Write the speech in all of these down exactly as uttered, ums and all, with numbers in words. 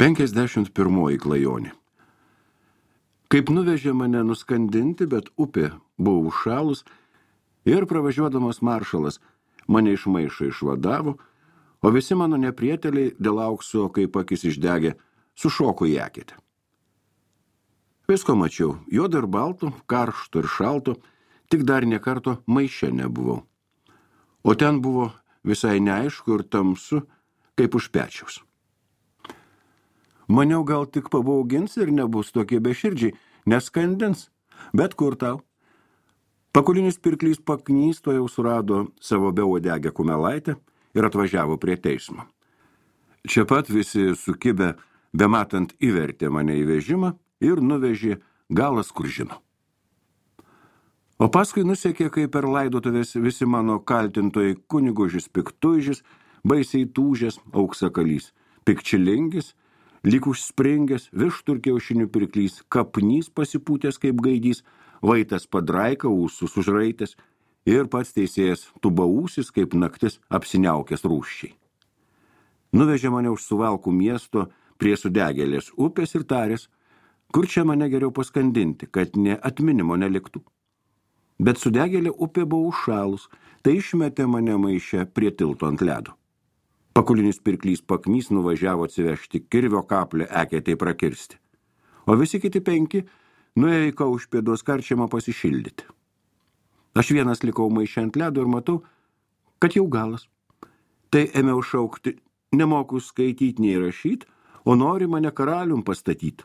penkiasdešimt pirmoji klajonė. Kaip nuvežė mane nuskandinti, bet upė buvo užšalus ir pravažiuodamas maršalas mane iš maišo išvadavo, o visi mano neprieteliai dėl aukso, kaip akis išdegė, sušoko į eketę. Visko mačiau, juodo ir balto, karšto ir šalto, tik dar ne karto maiše nebuvau. O ten buvo visai neaišku ir tamsu, kaip už pečiaus. Maniau, gal tik pabaugins ir nebus tokie beširdžiai, neskandins, bet kur tau. Pakulinis pirklys Paknys to jau surado savo beuodegę kumelaitę ir atvažiavo prie teismo. Čia pat visi sukibę, bematant įvertė mane į vežimą ir nuvežė galas kur žino. O paskui nusekė, kaip per laidotuvės visi mano kaltintojai Kunigužis Piktuižis, baisiai tūžęs Auksakalys, Pikčilingis, lyg užspringęs višturkiaušinių pirklys, Kapnys pasipūtęs kaip gaidys, Vaitas Padraika, ūsus užraitęs ir pats teisėjas Tubaūsis kaip naktis apsiniaukęs rūščiai. Nuvežė mane už Suvalkų miesto prie Sudegėlės upės ir tarės, kur čia mane geriau paskandinti, kad ne atminimo neliktų. Bet Sudegėlė upė buvo užšalus, tai išmetė mane maiše prie tilto ant ledo. Pakulinis pirklys Paknys nuvažiavo atsivežti kirvio kaplę eketei prakirsti. O visi kiti penki nuėjo į Kaušpėdos karčiamą pasišildyti. Aš vienas likau maiše ant ledo ir matau, kad jau galas. Tai ėmiau šaukti, nemoku skaityti nei rašyti, o nori mane karalium pastatyti.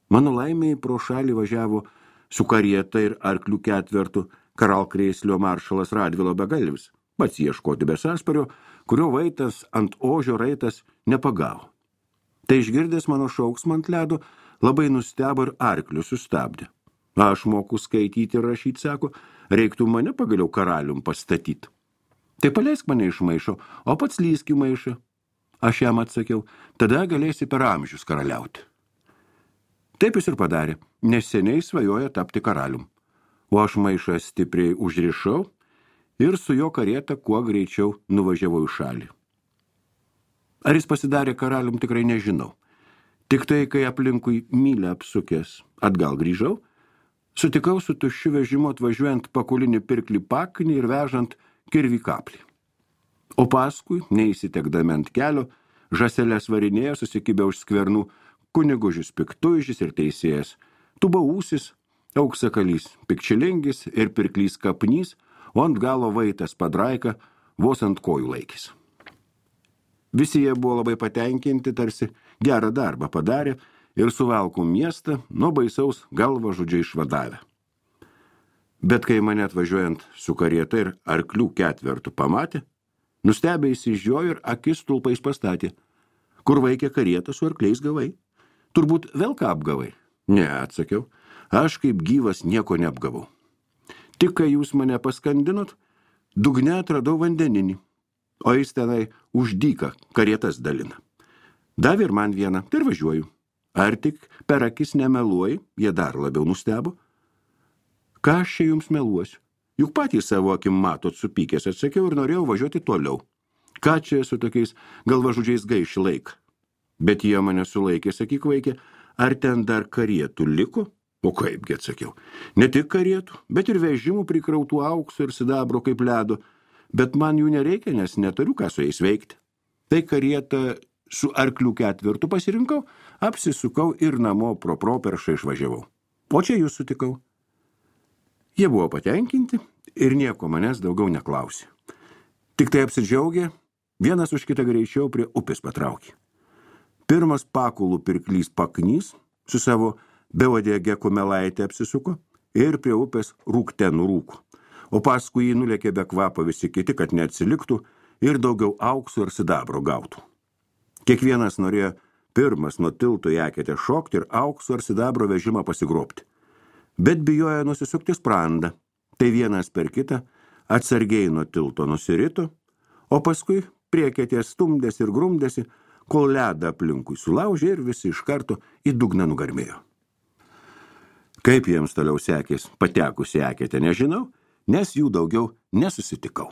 Mano laimėjai pro šalį važiavo su karieta ir arklių ketvertu karalkrėslio maršalas Radvilo Begalvis, pats ieškoti be sąspario, kurio Vaitas ant ožio raitas nepagavo. Tai išgirdęs mano šauksmą ant ledo, labai nustebo ir arklių sustabdė. Aš moku skaityti ir rašyti, sako, reiktų mane pagaliau karalium pastatyti. Tai paleisk mane iš maišo, o pats lysk į maišą. Aš jam atsakiau, tada galėsi per amžius karaliauti. Taip jis ir padarė, nes seniai svajoja tapti karalium. O aš maišą stipriai užrišau ir su jo karieta kuo greičiau nuvažiavau į šalį. Ar jis pasidarė karalium, tikrai nežinau. Tik tai, kai aplinkui mylę apsukęs atgal grįžau, sutikau su tuščiu vežimu atvažiuojant Pakulinį pirklį Paknį ir vežant kirvį kaplį. O paskui, neįsitekdami ant kelio, žąseles varinėjo susikibę už skvernų Kunigužis Piktuižis ir teisėjas Tubaūsis, Auksakalys Pikčilingis ir pirklys Kapnys, o ant galo Vaitas Padraika vos ant kojų laikys. Visi jie buvo labai patenkinti, tarsi gerą darbą padarė ir Suvalkų miestą nuo baisaus galva žudžiai išvadavę. Bet kai mane atvažiuojant su karieta ir arklių ketvertu pamatė, nustebę įsižiojo ir akis stulpais pastatė. Kur vaikė karietą su arkliais gavai? Turbūt vėl ką apgavai? Ne, atsakiau, aš kaip gyvas nieko neapgavau. Tik kai jūs mane paskandinot, dugne atradau vandeninį, o jis tenai už dyką karietas dalina. Davė ir man vieną, tai ir važiuoju. Ar tik per akis nemeluoji, jie dar labiau nustebo. Ką aš čia jums meluosiu? Juk patys savo akim matot supykęs, atsakiau ir norėjau važiuoti toliau. Ką čia su tokiais galvažudžiais gaiši laiką? Bet jie mane sulaikė, sakyk vaikė, ar ten dar karietų liko? O kaipgi, atsakiau. Ne tik karietų, bet ir vežimų prikrautų aukso ir sidabro kaip ledo, bet man jų nereikia, nes neturiu ką su jais veikti. Tai karietą su arklių ketvertu pasirinkau, apsisukau ir namo pro properšą išvažiavau. O čia jūs sutikau. Jie buvo patenkinti ir nieko manęs daugiau neklausė. Tik tai apsidžiaugė, vienas už kitą greičiau prie upės patraukė. Pirmas Pakulų pirklys Paknys su savo beuodegę kumelaitę apsisuko ir prie upės rūkte nurūko, o paskui jį nulėkė be kvapo visi kiti, kad neatsiliktų ir daugiau aukso ir sidabro gautų. Kiekvienas norėjo pirmas nuo tilto į eketę šokti ir aukso ir sidabro vežimą pasigrobti. Bet bijojo nusisukti sprandą, tai vienas per kitą atsargiai nuo tilto nusirito, o paskui prie eketės stumdėsi ir grumdėsi, kol ledą aplinkui sulaužė ir visi iš karto į dugną nugarmėjo. Kaip jiems toliau sekės patekusi eketę, nežinau, nes jų daugiau nesusitikau.